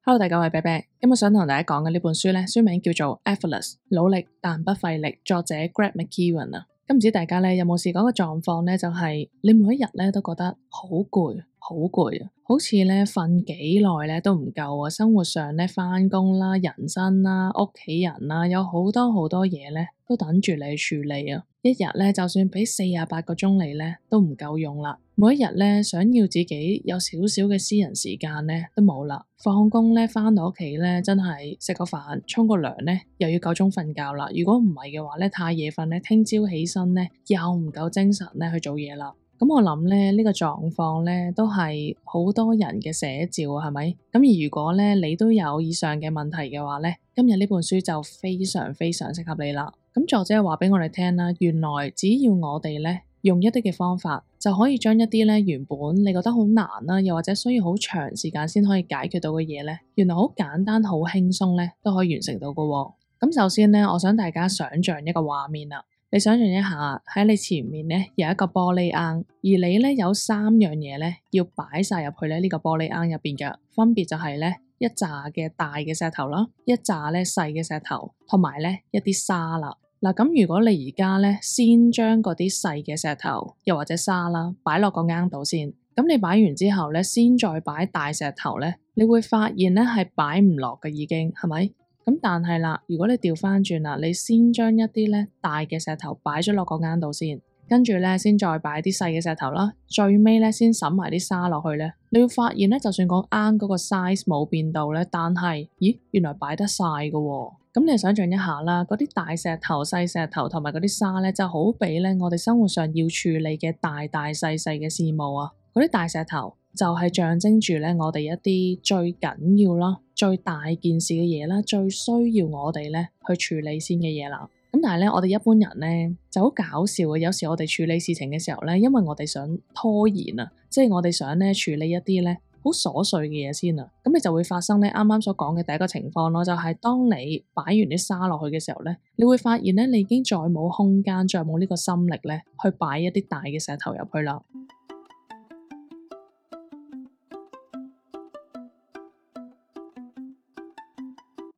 Hello，大家好，我係啤啤。今日想同大家講嘅呢本書咧，書名叫做 Effortless， 努力但不費力，作者 Greg McKeown 啊。咁唔知大家咧有冇試過個狀況咧，就係你每一日咧都覺得好攰，好攰啊，好似咧瞓幾耐咧都唔夠啊。生活上咧返工啦、人生啦、屋企人啦，有好多嘢咧都等住你處理啊。一日咧就算俾48個鐘你咧都唔夠用啦。每一日咧想要自己有少少嘅私人時間咧都冇啦。放工咧返到屋企咧真係食個飯、沖個涼咧又要夠鐘瞓覺啦。如果唔係嘅話咧太夜瞓咧，聽朝起身咧又唔夠精神咧去做嘢啦。咁我諗咧呢個狀況咧都係好多人嘅寫照，係咪？咁而如果咧你都有以上嘅問題嘅話咧，今日呢本書就非常適合你啦。咁作者話俾我哋聽啦，原來只要我哋咧用一啲嘅方法，就可以將一啲咧原本你覺得好難啦，又或者需要好長時間先可以解決到嘅嘢咧，原來好簡單、好輕鬆咧都可以完成到㗎。咁首先咧，我想大家想象一個畫面啦。你想象一下喺你前面咧有一個玻璃罌，而你咧有3樣嘢咧要擺晒入去咧呢個玻璃罌入邊嘅，分別就係咧一紮嘅大嘅石頭啦，一紮咧細嘅石頭，同埋咧一啲沙啦。嗱，咁如果你而家咧先將嗰啲細嘅石頭又或者沙啦擺落個罌度先，咁你擺完之後咧先再擺大石頭咧，你會發現咧係擺唔落嘅，已經係咪？咁但係啦，如果你調翻轉啦，你先將一啲咧大嘅石頭擺咗落個罌度先，跟住咧先再擺啲細嘅石頭啦，最尾咧先撒埋啲沙落去咧，你會發現咧，就算個罌嗰個 size 冇變到咧，但係咦原來擺得晒㗎喎。咁你想象一下啦，嗰啲大石頭、細石頭同埋嗰啲沙咧，就好比咧我哋生活上要處理嘅大細嘅事務啊。嗰啲大石頭就係象徵住咧我哋一啲最緊要啦、最大件事嘅嘢啦，最需要我哋咧去處理先嘅嘢啦。咁但係咧，我哋一般人咧就好搞笑嘅，有時我哋處理事情嘅時候咧，因為我哋想拖延啊，即係我哋想咧處理一啲咧好瑣碎嘅嘢先啊，咁你就會發生咧啱啱所講嘅第一個情況咯，就係當你擺完啲沙落去嘅時候咧，你會發現咧你已經再冇空間，再冇呢個心力咧去擺一啲大嘅石頭入去啦。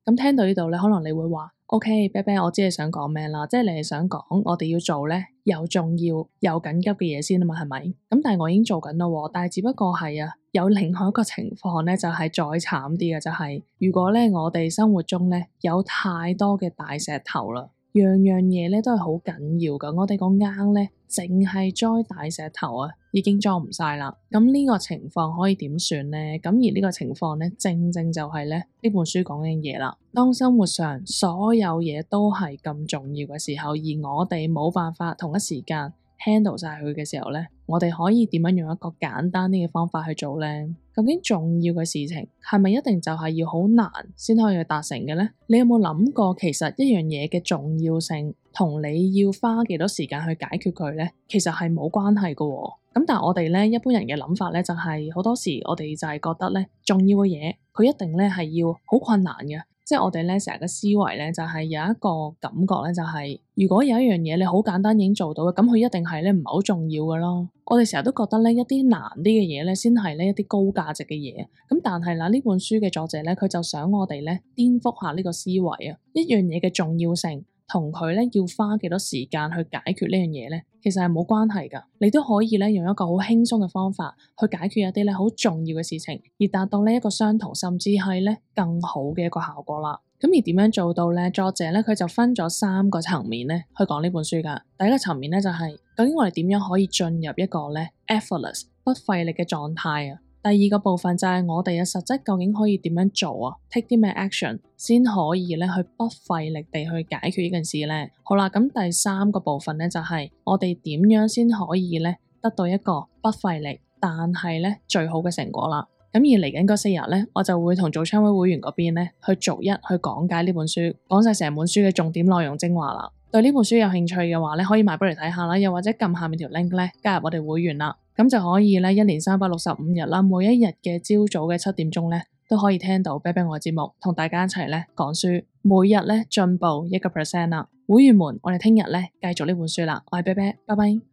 咁聽到呢度咧，可能你會話：OK，啤啤，我知你想講咩啦，即係你係想講我哋要做咧又重要又緊急嘅嘢先啊嘛，係咪？咁但係我已經做緊啦喎，但係只不過係有另外一個情況咧，就係再慘啲嘅，就係如果咧我哋生活中咧有太多嘅大石頭啦。樣樣嘢咧都係好緊要噶，我哋個罌咧淨係裝大石頭啊，已經裝唔晒啦。咁呢個情況可以點算咧？咁而呢個情況咧，正就係咧呢本書講嘅嘢啦。當生活上所有嘢都係咁重要嘅時候，而我哋冇辦法同一時間handle 晒佢嘅時候咧，我哋可以點樣用一個簡單啲嘅方法去做咧？究竟重要嘅事情係咪一定就係要好難先可以去達成嘅咧？你有冇諗過其實一樣嘢嘅重要性同你要花幾多時間去解決佢咧，其實係冇關係㗎喎。咁但係我哋咧一般人嘅諗法咧就係好多時我哋就係覺得咧重要嘅嘢佢一定咧係要好困難嘅。即係我哋咧成日嘅思維咧就係有一個感覺咧就係如果有一樣嘢你好簡單已經做到嘅，咁佢一定係咧唔係好重要㗎咯。我哋成日都覺得咧一啲難啲嘅嘢咧先係咧一啲高價值嘅嘢。咁但係啦，呢本書嘅作者咧佢就想我哋咧顛覆下呢個思維啊，一樣嘢嘅重要性同佢咧要花幾多時間去解決呢樣嘢咧，其實係冇關係㗎。你都可以咧用一個好輕鬆嘅方法去解決一啲咧好重要嘅事情，而達到呢一個相同甚至係咧更好嘅一個效果啦。咁而點樣做到咧？作者咧佢就分咗3個層面咧去講呢本書㗎。第一個層面咧就係究竟我哋點樣可以進入一個咧 effortless 不費力嘅狀態啊。第二個部分就係我哋嘅實質究竟可以點樣做啊 ？take 啲咩 action 先可以咧去不費力地去解決呢件事咧？好啦，咁第3個部分咧就係我哋點樣先可以咧得到一個不費力但係咧最好嘅成果啦。咁而嚟緊嗰4日咧，我就會同早餐會會員嗰邊咧去逐一去講解呢本書，講晒成本書嘅重點內容精華啦。對呢本書有興趣嘅話咧，可以買本嚟睇下啦，又或者撳下面條 link 咧加入我哋會員啦，咁就可以咧1年365日啦，每一日嘅朝早嘅7點鐘咧都可以聽到啤啤我嘅節目，同大家一齊咧講書，每日咧進步1%啦。會員們，我哋聽日咧繼續呢本書啦，我係啤啤，拜拜。